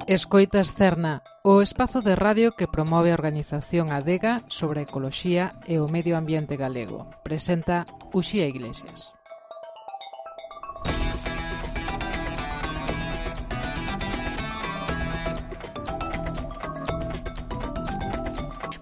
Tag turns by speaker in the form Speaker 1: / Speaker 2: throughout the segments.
Speaker 1: Escoitas Cerna, o espazo de radio que promove a organización Adega sobre a ecoloxía e o medio ambiente galego. Presenta Uxía Iglesias.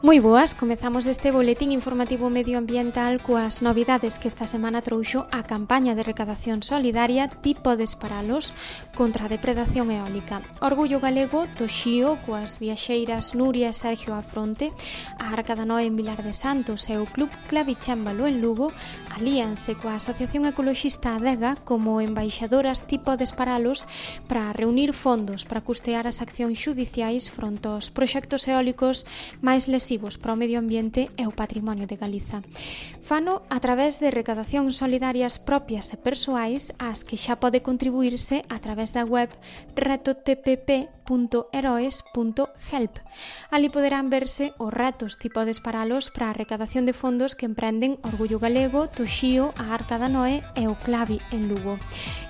Speaker 2: Moi boas, comezamos este boletín informativo medioambiental coas novidades que esta semana trouxo a campaña de recadación solidaria Ti podes paralos contra a depredación eólica. Orgullo galego do Xío coas viaxeiras Nuria e Sergio á fronte, a Arca da Noé en Vilar de Santos e o Club Clavichémbalo en Lugo alíanse coa Asociación Ecoloxista Adega como embaixadoras Ti podes paralos para reunir fondos para custear as accións xudiciais fronte aos proxectos eólicos máis lesivos para o medio ambiente e o patrimonio de Galiza. Fano a través de recadacións solidarias propias e persoais ás que xa pode contribuirse a través da web retotpp.heroes.help. Ali poderán verse os retos Ti podes paralos para a recadación de fondos que emprenden Orgullo Galego, Toxío, a Arca da Noé e o Clavi en Lugo.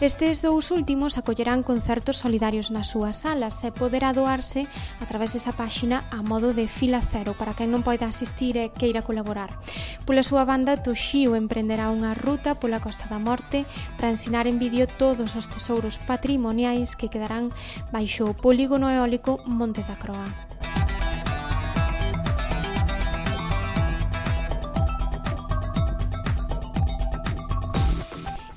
Speaker 2: Estes dous últimos acollerán concertos solidarios nas súas salas e poderá doarse a través desa páxina a modo de fila cero para quen non poida asistir e queira colaborar. Pola súa banda, Toxío emprenderá unha ruta pola Costa da Morte para ensinar en vídeo todos os tesouros patrimoniais que quedarán baixo o polígono eólico Monte da Croa.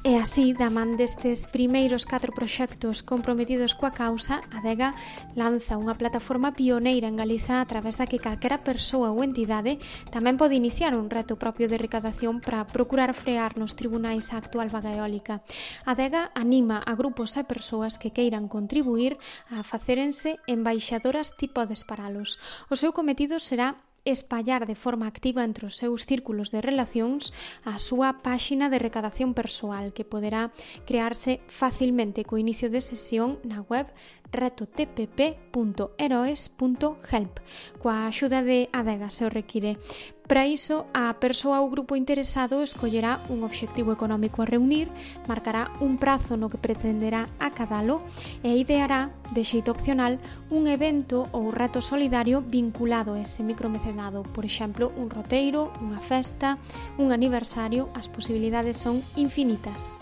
Speaker 2: E así, da man destes primeiros 4 proxectos comprometidos coa causa, Adega lanza unha plataforma pioneira en Galiza a través da que calquera persoa ou entidade tamén pode iniciar un reto propio de recadación para procurar frear nos tribunais a actual vaga eólica. Adega anima a grupos e persoas que queiran contribuir a facérense embaixadoras Ti podes paralos. O seu cometido será espallar de forma activa entre os seus círculos de relacións a súa páxina de recadación persoal que poderá crearse facilmente co inicio de sesión na web retotpp.heroes.help coa axuda de Adega se o require. Para iso, a persoa ou grupo interesado escollerá un obxectivo económico a reunir, marcará un prazo no que pretenderá acadalo e ideará, de xeito opcional, un evento ou reto solidario vinculado a ese micromecenado. Por exemplo, un roteiro, unha festa, un aniversario, as posibilidades son infinitas.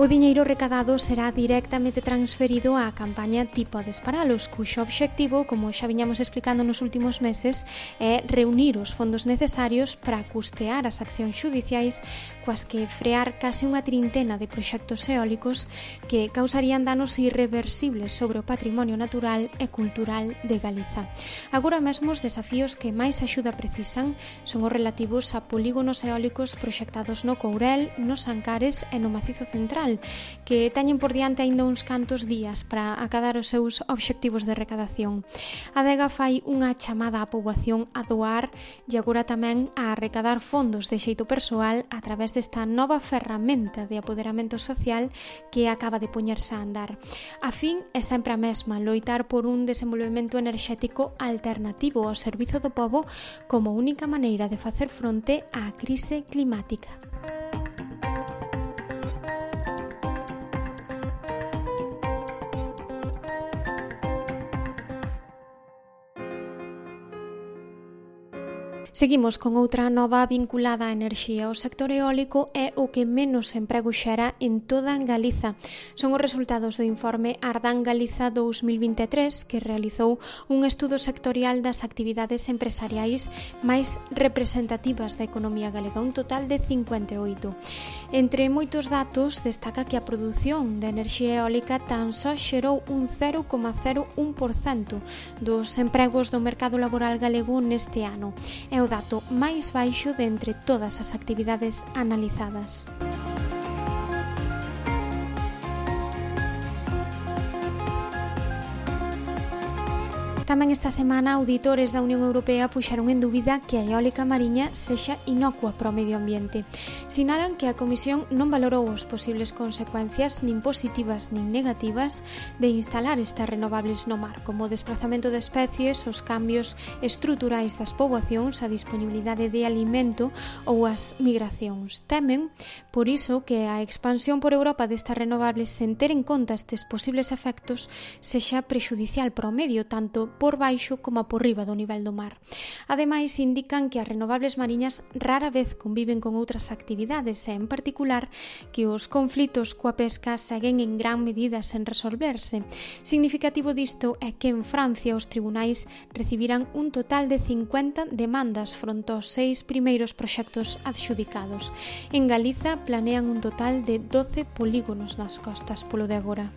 Speaker 2: O diñeiro recadado será directamente transferido á campaña Ti podes paralos, cuxo obxectivo, como xa viñamos explicando nos últimos meses, é reunir os fondos necesarios para custear as accións xudiciais coas que frear case unha trintena de proxectos eólicos que causarían danos irreversibles sobre o patrimonio natural e cultural de Galiza. Agora mesmo os desafíos que máis axuda precisan son os relativos a polígonos eólicos proxectados no Courel, nos Ancares e no Macizo Central, que teñen por diante aínda uns cantos días para acadar os seus obxectivos de recadación. A Adega fai unha chamada á poboación a doar e agora tamén a recadar fondos de xeito persoal a través desta nova ferramenta de apoderamento social que acaba de poñerse a andar. A fin é sempre a mesma, loitar por un desenvolvemento enerxético alternativo ao servizo do pobo como única maneira de facer fronte á crise climática. Seguimos con outra nova vinculada á enerxía. O sector eólico é o que menos emprego xera en toda Galiza. Son os resultados do informe Ardán Galiza 2023 que realizou un estudo sectorial das actividades empresariais máis representativas da economía galega, un total de 58. Entre moitos datos, destaca que a produción de enerxía eólica tan só xerou un 0,01% dos empregos do mercado laboral galego neste ano. É o dato máis baixo de entre todas as actividades analizadas. Tamén esta semana, auditores da Unión Europea puxeron en dúbida que a eólica mariña sexa inocua para o medio ambiente. Sinalan que a Comisión non valorou as posibles consecuencias nin positivas nin negativas de instalar estas renovables no mar, como o desplazamento de especies, os cambios estruturais das poboacións, a disponibilidade de alimento ou as migracións. Temen, por iso, que a expansión por Europa destas renovables sen ter en conta estes posibles efectos sexa prexudicial para o medio, tanto por baixo como por riba do nivel do mar. Ademais, indican que as renovables mariñas rara vez conviven con outras actividades e, en particular, que os conflitos coa pesca seguen en gran medida sen resolverse. Significativo disto é que en Francia os tribunais recibiran un total de 50 demandas fronte aos 6 primeiros proxectos adxudicados. En Galiza planean un total de 12 polígonos nas costas polo de agora.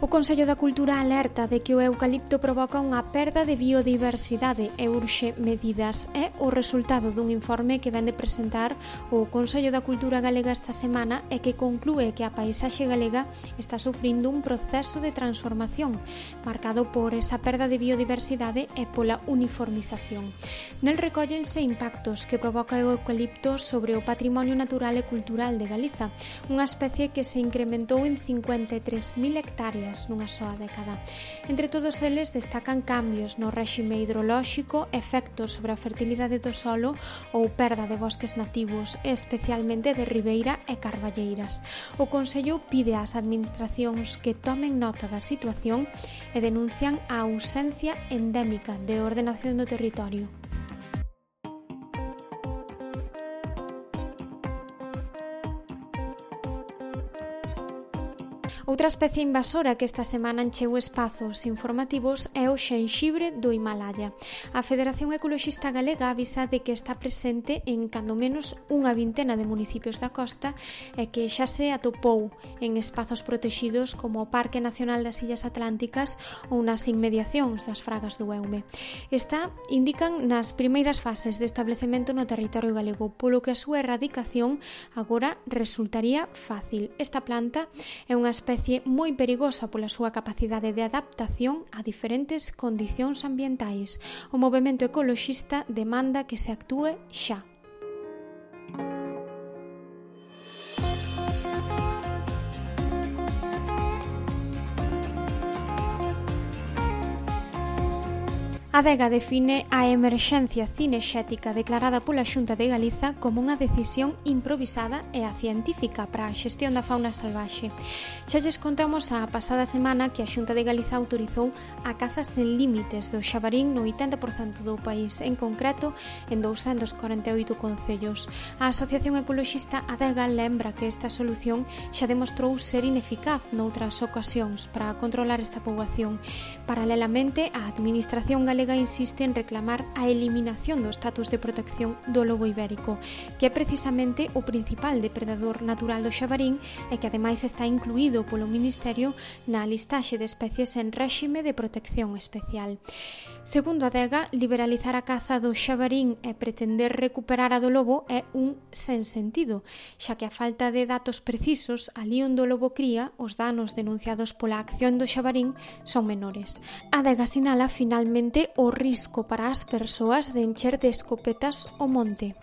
Speaker 2: O Consello da Cultura alerta de que o eucalipto provoca unha perda de biodiversidade e urxe medidas. É o resultado dun informe que vén de presentar o Consello da Cultura Galega esta semana e que conclúe que a paisaxe galega está sufrindo un proceso de transformación marcado por esa perda de biodiversidade e pola uniformización. Nel recóllense impactos que provoca o eucalipto sobre o patrimonio natural e cultural de Galiza, unha especie que se incrementou en 53.000 hectáreas nunha soa década. Entre todos eles destacan cambios no réxime hidrolóxico, efectos sobre a fertilidade do solo ou perda de bosques nativos, especialmente de ribeira e carballeiras. O Consello pide ás administracións que tomen nota da situación e denuncian a ausencia endémica de ordenación do territorio. Outra especie invasora que esta semana encheu espazos informativos é o xenxibre do Himalaya. A Federación Ecoloxista Galega avisa de que está presente en cando menos unha vintena de municipios da costa e que xa se atopou en espazos protexidos como o Parque Nacional das Illas Atlánticas ou nas inmediacións das Fragas do Eume. Esta indican nas primeiras fases de establecemento no territorio galego, polo que a súa erradicación agora resultaría fácil. Esta planta é unha especie moi perigosa pola súa capacidade de adaptación a diferentes condicións ambientais. O movemento ecoloxista demanda que se actúe xa. A Adega define a emerxencia cinexética declarada pola Xunta de Galiza como unha decisión improvisada e acientífica para a xestión da fauna salvaxe. Xa lles contamos a pasada semana que a Xunta de Galiza autorizou a caza sen límites do xabarín no 80% do país, en concreto en 248 concellos. A Asociación Ecoloxista Adega lembra que esta solución xa demostrou ser ineficaz noutras ocasións para controlar esta poboación. Paralelamente, a Administración Galega insiste en reclamar a eliminación do estatus de protección do lobo ibérico, que é precisamente o principal depredador natural do xabarín e que ademais está incluído polo Ministerio na listaxe de especies en réxime de protección especial. Segundo a Adega, liberalizar a caza do xabarín e pretender recuperar a do lobo é un sensentido, xa que a falta de datos precisos alí onde o lobo cría, os danos denunciados pola acción do xabarín son menores. A Adega sinala finalmente o risco para as persoas de encher de escopetas o monte.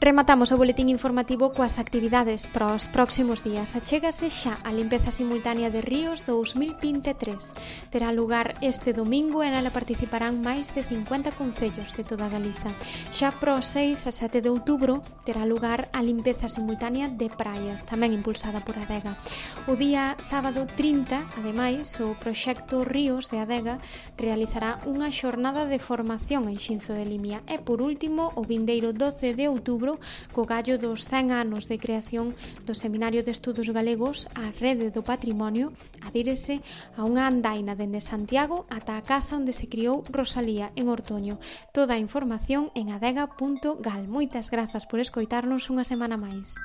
Speaker 2: Rematamos o boletín informativo coas actividades para os próximos días. Achégase xa a limpeza simultánea de ríos 2023. Terá lugar este domingo e nela participarán máis de 50 concellos de toda Galiza. Xa para o 6 a 7 de outubro terá lugar a limpeza simultánea de praias, tamén impulsada por Adega. O día sábado 30, ademais, o proxecto Ríos de Adega realizará unha xornada de formación en Xinzo de Limia e, por último, o vindeiro 12 de outubro, co gallo dos 100 anos de creación do Seminario de Estudos Galegos, a Rede do Patrimonio adírese a unha andaina dende Santiago ata a casa onde se criou Rosalía, en Ortoño. Toda a información en adega.gal. Moitas grazas por escoitarnos unha semana máis.